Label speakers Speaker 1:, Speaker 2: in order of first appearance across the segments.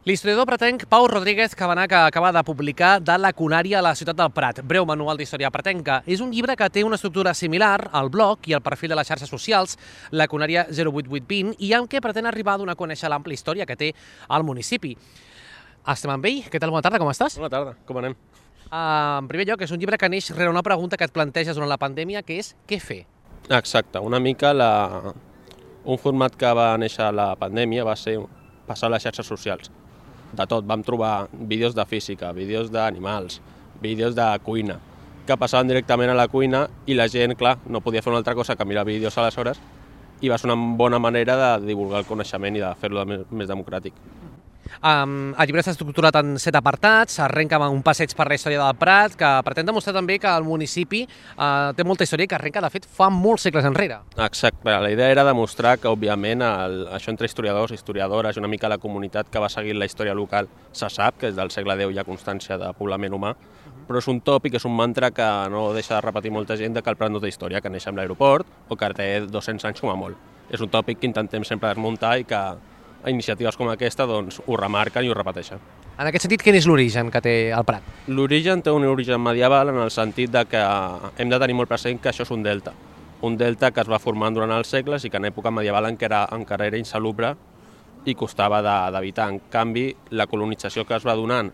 Speaker 1: L'historiador pretenc Pau Rodríguez Cabanà, que acaba de publicar De la Conària a la ciutat del Prat, breu manual d'història pretenca. És un llibre que té una estructura similar al blog i al perfil de les xarxes socials, La Conària 08820, i amb què pretén arribar a donar a conèixer l'àmplia història que té el municipi. Estem amb ell. Què tal? Bona tarda, com estàs?
Speaker 2: Bona tarda, com anem?
Speaker 1: En primer lloc, és un llibre que neix rere una pregunta que et planteges durant la pandèmia, que és què fer?
Speaker 2: Exacte, una mica un format que va néixer a la pandèmia va ser passar a les xarxes socials. De tot, vam trobar vídeos de física, vídeos d'animals, vídeos de cuina, que passaven directament a la cuina i la gent, clar, no podia fer una altra cosa que mirar vídeos aleshores i va ser una bona manera de divulgar el coneixement i de fer-lo més democràtic.
Speaker 1: El llibre està estructurat en 7 apartats, arrenca amb un passeig per la història del Prat, que pretén demostrar també que el municipi té molta història i que arrenca, de fet, fa molts segles enrere.
Speaker 2: Exacte, la idea era demostrar que, òbviament, això entre historiadors, historiadores i una mica la comunitat que va seguir la història local se sap, que des del segle X hi ha constància de poblament humà, però és un tòpic, és un mantra que no deixa de repetir molta gent, que el Prat no té història, que neix amb l'aeroport o que té 200 anys com a molt. És un tòpic que intentem sempre desmuntar i que iniciatives com aquesta doncs, ho remarquen i ho repeteixen.
Speaker 1: En aquest sentit, quin és l'origen que té el Prat?
Speaker 2: L'origen té un origen medieval en el sentit de que hem de tenir molt present que això és un delta que es va formant durant els segles i que en època medieval encara era insalubre i costava d'evitar. En canvi, la colonització que es va donant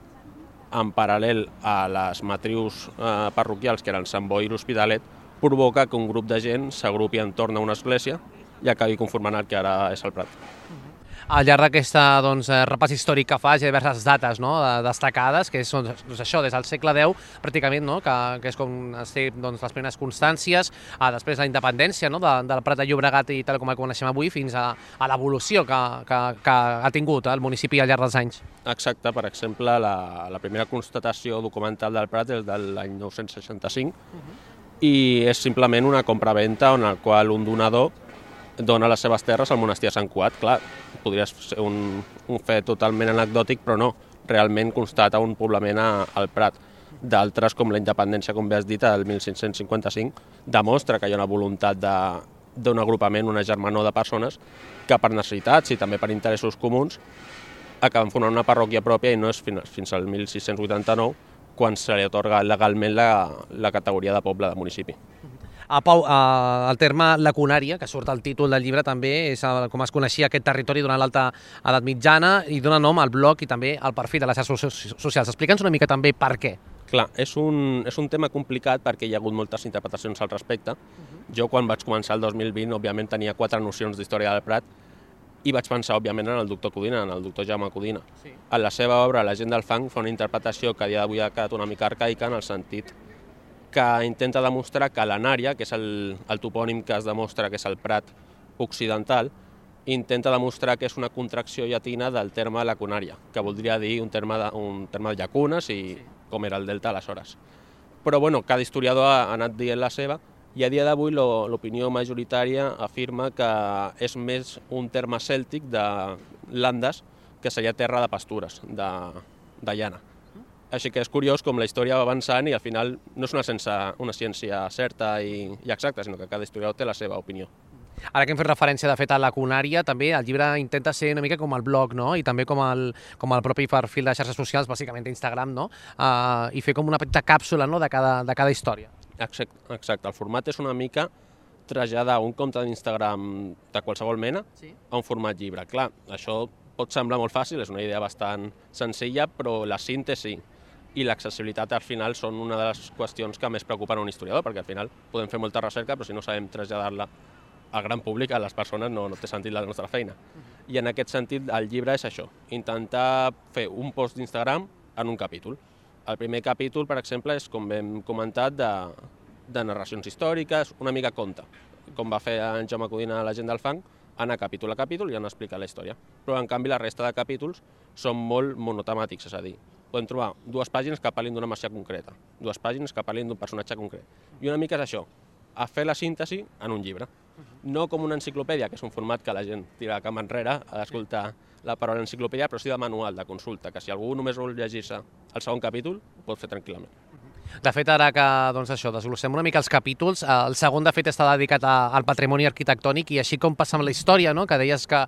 Speaker 2: en paral·lel a les matrius parroquials, que eren Sant Boi i l'Hospitalet, provoca que un grup de gent s'agrupi entorn a una església i acabi conformant el que ara és el Prat.
Speaker 1: Al llarg d'aquest repàs històric que fa, hi ha diverses dates destacades, que són això, des del segle X, pràcticament, que és com es té les primeres constàncies, després la independència del Prat de Llobregat i tal com el coneixem avui, fins a l'evolució que ha tingut el municipi al llarg dels anys.
Speaker 2: Exacte, per exemple, la primera constatació documental del Prat és de l'any 965 i és simplement una compraventa en la qual un donador dona les seves terres al monestir de Sant Cugat. Clar, podria ser un fet totalment anecdòtic, però no. Realment constata un poblament al Prat. D'altres, com la independència, com bé has dit, el 1555, demostra que hi ha una voluntat d'un agrupament, una germanor de persones que per necessitats i també per interessos comuns acaben formant una parròquia pròpia i no és fins al 1689 quan se li atorga legalment la categoria de poble de municipi.
Speaker 1: Pau, el terme La Conària, que surt al títol del llibre, també és com es coneixia aquest territori durant l'Alta Edat Mitjana i dona nom al blog i també al perfil de les xarxes socials. Explica'ns una mica també per què.
Speaker 2: Clar, és un tema complicat perquè hi ha hagut moltes interpretacions al respecte. Jo, quan vaig començar el 2020, òbviament tenia 4 nocions d'història del Prat i vaig pensar, òbviament, en el doctor Codina, en el doctor Jaume Codina. Sí. En la seva obra, La gent del fang, fa una interpretació que a dia d'avui ha quedat una mica arcaica en el sentit que intenta demostrar que l'Anària, que és el topònim que es demostra que és el Prat occidental, intenta demostrar que és una contracció llatina del terme La Conària, que voldria dir un terme de llacunes i com era el delta aleshores. Però bueno, cada historiador ha anat dient la seva i a dia d'avui l'opinió majoritària afirma que és més un terme cèltic de landes que seria terra de pastures, de llana. Així que és curiós com la història va avançant i al final no és una ciència certa i exacta, sinó que cada historiador té la seva opinió.
Speaker 1: Ara que hem fet referència, de fet, a La Conària, també el llibre intenta ser una mica com el blog, i també com el propi perfil de xarxes socials, bàsicament d'Instagram, i fer com una petita càpsula de cada història.
Speaker 2: Exacte, el format és una mica traslladar un compte d'Instagram de qualsevol mena a un format llibre. Clar, això pot semblar molt fàcil, és una idea bastant senzilla, però la síntesi i l'accessibilitat al final són una de les qüestions que més preocupen a un historiador, perquè al final podem fer molta recerca, però si no sabem traslladar-la al gran públic, a les persones, no té sentit la nostra feina. I en aquest sentit el llibre és això, intentar fer un post d'Instagram en un capítol. El primer capítol, per exemple, és, com hem comentat, de narracions històriques, una mica conte, com va fer en Jaume Codina a La gent del fang, anar capítol a capítol i anar explicant la història. Però, en canvi, la resta de capítols són molt monotemàtics, és a dir, podem trobar 2 pàgines que parlin d'una masia concreta, 2 pàgines que parlin d'un personatge concret. I una mica és això, a fer la síntesi en un llibre. No com una enciclopèdia, que és un format que la gent tira cap enrere a escoltar la paraula enciclopèdia, però sí de manual, de consulta, que si algú només vol llegir-se el segon capítol, ho pot fer tranquil·lament.
Speaker 1: De fet, ara que desglossem una mica els capítols, el segon, de fet, està dedicat al patrimoni arquitectònic i així com passa amb la història, no? Que deies que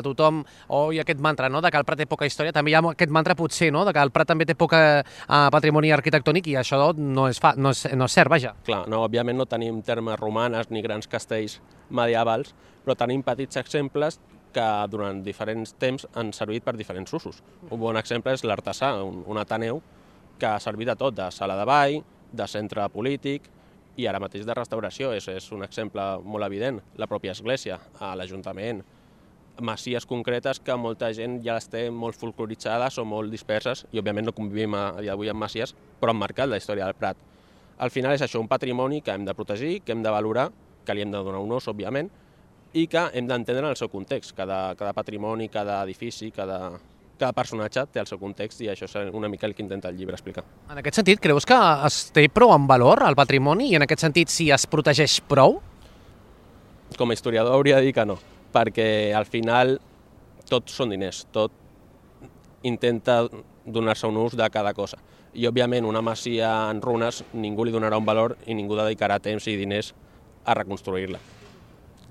Speaker 1: tothom oi aquest mantra, no? De que el Prat té poca història, també hi ha aquest mantra potser, no? De que el Prat també té poca patrimoni arquitectònic i això no és cert, vaja.
Speaker 2: Clar, no, òbviament no tenim termes romanes ni grans castells medievals, però tenim petits exemples que durant diferents temps han servit per diferents usos. Un bon exemple és l'Artesà, un ateneu que ha servit de tot, de sala de ball, de centre polític i ara mateix de restauració. És un exemple molt evident. La pròpia església, l'Ajuntament, masies concretes que molta gent ja les té molt folcloritzades o molt disperses i òbviament no convivim a dia d'avui amb masies, però han marcat la història del Prat. Al final és això, un patrimoni que hem de protegir, que hem de valorar, que li hem de donar un ús, òbviament, i que hem d'entendre en el seu context. Cada patrimoni, cada edifici, cada personatge té el seu context i això és una mica el que intenta el llibre explicar.
Speaker 1: En aquest sentit, creus que es té prou en valor el patrimoni i en aquest sentit si es protegeix prou?
Speaker 2: Com a historiador hauria de dir que no, perquè al final tot són diners, tot intenta donar-se un ús de cada cosa. I òbviament una masia en runes ningú li donarà un valor i ningú dedicarà temps i diners a reconstruir-la.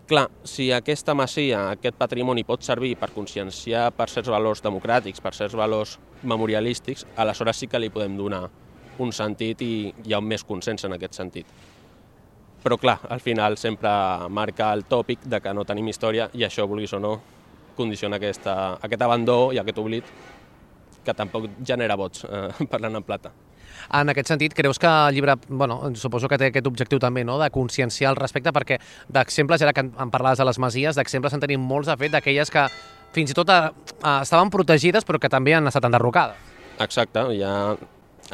Speaker 2: Clar, si aquesta masia, aquest patrimoni pot servir per conscienciar per certs valors democràtics, per certs valors memorialístics, aleshores sí que li podem donar un sentit i hi ha un més consens en aquest sentit. Però clar, al final sempre marca el tòpic de que no tenim història i això, vulguis o no, condiciona aquest abandó i aquest oblit que tampoc genera vots, parlant en plata.
Speaker 1: En aquest sentit, creus que el llibre, suposo que té aquest objectiu també, no?, de conscienciar al respecte, perquè d'exemples, ara que em parlaves de les masies, d'exemples en tenim molts, de fet, d'aquelles que fins i tot estaven protegides però que també han estat enderrocades.
Speaker 2: Exacte,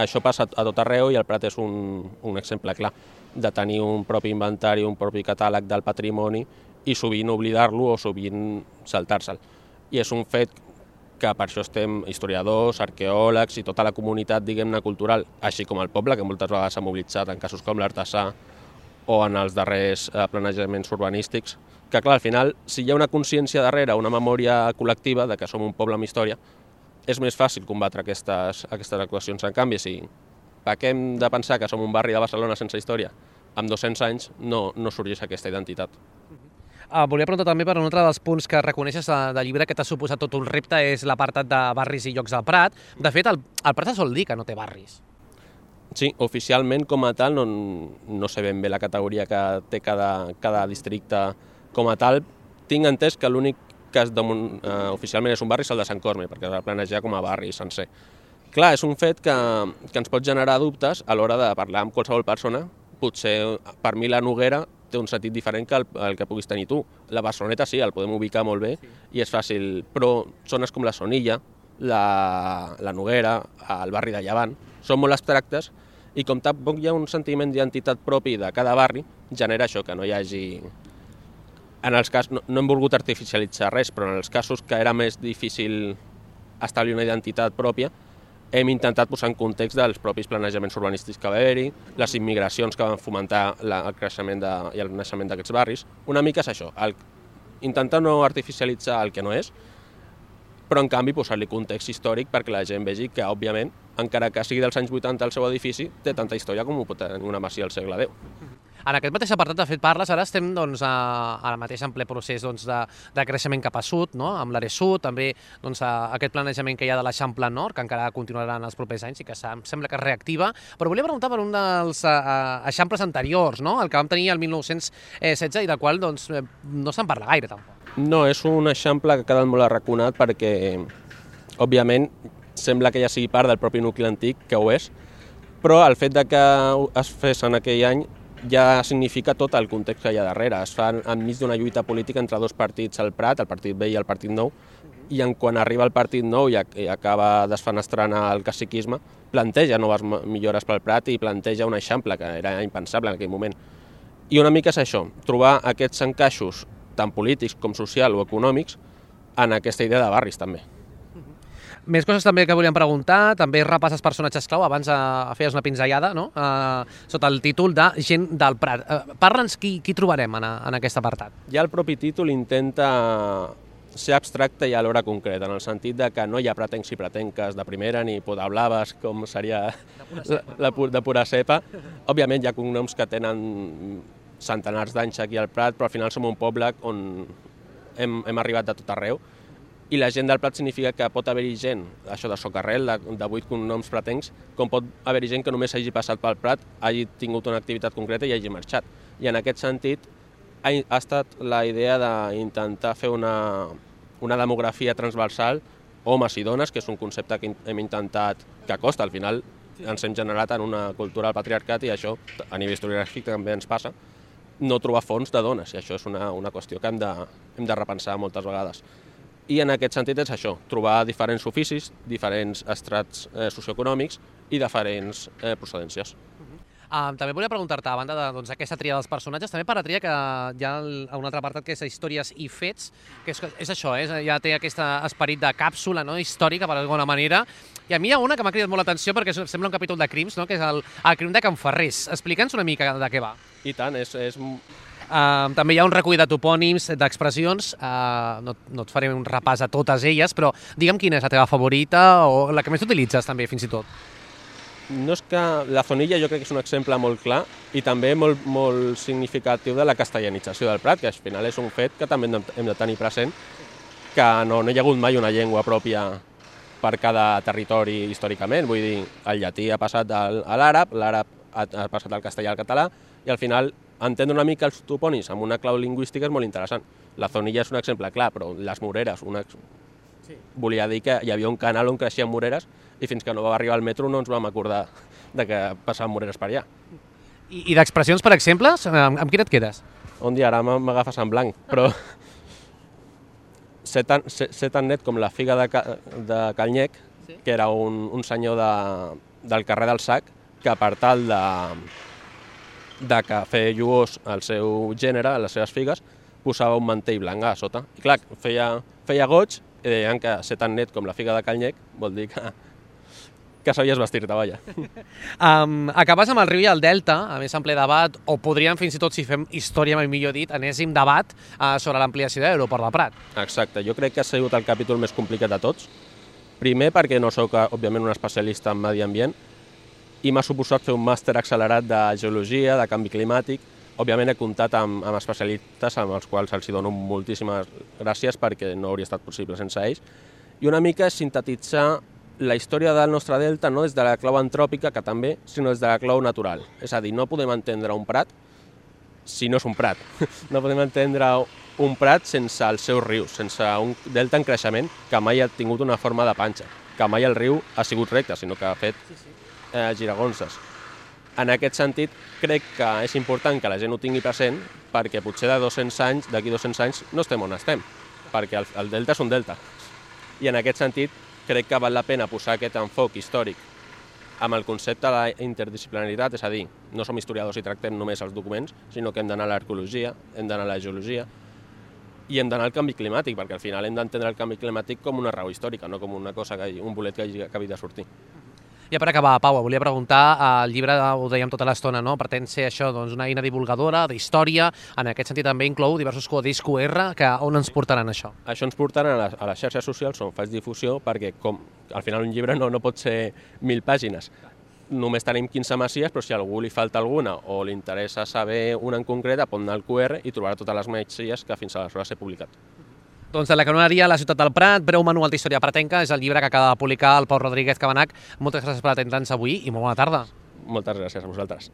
Speaker 2: això passa a tot arreu i el Prat és un exemple clar de tenir un propi inventari, un propi catàleg del patrimoni i sovint oblidar-lo o sovint saltar-se'l. I és un fet que per això estem historiadors, arqueòlegs i tota la comunitat, diguem-ne, cultural, així com el poble, que moltes vegades s'ha mobilitzat en casos com l'Artesà o en els darrers planejaments urbanístics, que clar, al final, si hi ha una consciència darrere, una memòria col·lectiva de que som un poble amb història, és més fàcil combatre aquestes actuacions. En canvi, si pequem de pensar que som un barri de Barcelona sense història, amb 200 anys no sorgeix aquesta identitat.
Speaker 1: Volia preguntar també per un altre dels punts que reconeixes del llibre que t'ha suposat tot un repte, és l'apartat de barris i llocs del Prat. De fet, el Prat se sol dir que no té barris.
Speaker 2: Sí, oficialment com a tal no sé ben bé la categoria que té cada districte com a tal. Tinc entès que l'únic que oficialment és un barri és el de Sant Cosme, perquè es va planejar com a barri sencer. Clar, és un fet que ens pot generar dubtes a l'hora de parlar amb qualsevol persona. Potser per mi la Noguera té un sentit diferent que el que puguis tenir tu. La Barceloneta sí, el podem ubicar molt bé i és fàcil, però zones com la Sonilla, la Noguera, el barri de Llevant, són molt abstractes i com tampoc hi ha un sentiment d'identitat propi de cada barri, genera això, que no hi hagi... No hem volgut artificialitzar res, però en els casos que era més difícil establir una identitat pròpia, hem intentat posar en context dels propis planejaments urbanístics que va haver-hi, les immigracions que van fomentar el creixement i el naixement d'aquests barris. Una mica és això, intentar no artificialitzar el que no és, però en canvi posar-li context històric perquè la gent vegi que, òbviament, encara que sigui dels anys 80 el seu edifici, té tanta història com ho pot tenir una masia al segle X.
Speaker 1: En aquest mateix apartat, de fet, parles, ara estem ara mateix en ple procés de creixement cap a sud, no? Amb l'Are Sud, també aquest planejament que hi ha de l'Eixample Nord, que encara continuarà en els propers anys i que sembla que es reactiva. Però volia preguntar per un dels eixamples anteriors, no? El que vam tenir el 1916 i del qual no se'n parla gaire, tampoc.
Speaker 2: No, és un eixample que ha quedat molt arraconat perquè, òbviament, sembla que ja sigui part del propi nucli antic, que ho és, però el fet de que es fes en aquell any ja significa tot el context que hi ha darrere. Es fa enmig d'una lluita política entre dos partits al Prat, el Partit Vell i el Partit Nou, i quan arriba el Partit Nou i acaba desfenestrant el caciquisme, planteja noves millores pel Prat i planteja un eixample que era impensable en aquell moment. I una mica és això, trobar aquests encaixos tant polítics com social o econòmics en aquesta idea de barris també.
Speaker 1: Més coses també que volíem preguntar, també repasses personatges clau, abans feies una pinzellada, no? Sota el títol de Gent del Prat. Parla'ns qui trobarem en aquest apartat.
Speaker 2: Ja el propi títol intenta ser abstracte i alhora concret, en el sentit de que no hi ha pretencs i pretenques de primera ni podablaves, com seria de pura cepa. Òbviament hi ha cognoms que tenen centenars d'anys aquí al Prat, però al final som un poble on hem arribat de tot arreu, i la gent del Prat significa que pot haver-hi gent, això de socarrel, de 8 cognoms pretencs, com pot haver-hi gent que només hagi passat pel Prat, hagi tingut una activitat concreta i hagi marxat. I en aquest sentit ha estat la idea d'intentar fer una demografia transversal, homes i dones, que és un concepte que hem intentat, que costa, al final ens hem generat en una cultura del patriarcat i això, a nivell historiogràfic, també ens passa, no trobar fons de dones, i això és una qüestió que hem de repensar moltes vegades. I en aquest sentit és això, trobar diferents oficis, diferents estrats socioeconòmics i diferents procedències.
Speaker 1: També volia preguntar-te, a banda d'aquesta tria dels personatges, també per la tria que hi ha un altre apartat que és històries i fets, que és això, ja té aquest esperit de càpsula històrica, per alguna manera, i a mi hi ha una que m'ha cridat molt l'atenció perquè sembla un capítol de crims, que és el crim de Can Ferrés. Explica'ns una mica de què va.
Speaker 2: I tant, és...
Speaker 1: També hi ha un recull de topònims, d'expressions, no et faré un repàs a totes elles, però digue'm quina és la teva favorita o la que més utilitzes també, fins i tot.
Speaker 2: No és que la Zonilla jo crec que és un exemple molt clar i també molt significatiu de la castellanització del Prat, que al final és un fet que també hem de tenir present, que no hi ha hagut mai una llengua pròpia per cada territori històricament. Vull dir, el llatí ha passat a l'àrab, l'àrab ha passat al castellà al català, i al final entendre una mica els topònims amb una clau lingüística és molt interessant. La Zonilla és un exemple clar, però les Moreres, volia dir que hi havia un canal on creixien moreres i fins que no va arribar al metro no ens vam acordar de que passaven moreres per allà.
Speaker 1: I d'expressions, per exemple, amb quina et quedes?
Speaker 2: Un dia ara m'agafes en blanc, però ser tan net com la figa de Calnyec, que era un senyor del carrer del Sac, que per tal de que feia lluós el seu gènere, les seves figues, posava un mantell blanc a sota. I clar, feia goig i deien que ser tan net com la figa de Calnyec vol dir que sabies vestir-te, vaja.
Speaker 1: Acabes amb el riu i el delta, a més en ple debat, o podríem fins i tot, si fem història, mai millor dit, enèsim debat sobre l'ampliació de l'aeroport del Prat.
Speaker 2: Exacte, jo crec que ha sigut el capítol més complicat de tots. Primer perquè no sóc, òbviament, un especialista en medi ambient i m'ha suposat fer un màster accelerat de geologia, de canvi climàtic. Òbviament he comptat amb especialistes amb els quals els dono moltíssimes gràcies perquè no hauria estat possible sense ells. I una mica és sintetitzar la història del nostre delta no des de la clau antròpica, que també, sinó des de la clau natural. És a dir, no podem entendre un prat si no és un prat. No podem entendre un prat sense els seus rius, sense un delta en creixement que mai ha tingut una forma de panxa, que mai el riu ha sigut recte, sinó que ha fet giragonses. En aquest sentit, crec que és important que la gent ho tingui present perquè potser d'aquí 200 anys no estem on estem, perquè el delta és un delta. I en aquest sentit, crec que val la pena posar aquest enfoc històric amb el concepte de interdisciplinaritat, és a dir, no som historiadors i tractem només els documents, sinó que hem d'anar a l'arqueologia, hem d'anar a la geologia i hem d'anar al canvi climàtic, perquè al final hem d'entendre el canvi climàtic com una raó històrica, no com una cosa, un bolet que hagi acabat de sortir.
Speaker 1: Ja per acabar, Pau, volia preguntar, el llibre, ho dèiem tota l'estona, pretén ser això, una eina divulgadora d'història, en aquest sentit també inclou diversos codis QR, on ens portaran això?
Speaker 2: Això ens portaran a les xarxes socials on faig difusió, perquè al final un llibre no pot ser 1.000 pàgines. Només tenim 15 masies, però si a algú li falta alguna o li interessa saber una en concret, pot anar al QR i trobarà totes les masies que fins aleshores he publicat.
Speaker 1: Doncs de la canoneria a la ciutat del Prat, breu manual d'història pratenca, és el llibre que acaba de publicar el Pau Rodríguez Cabanach. Moltes gràcies per atendre'ns avui i molt bona tarda.
Speaker 2: Moltes gràcies a vosaltres.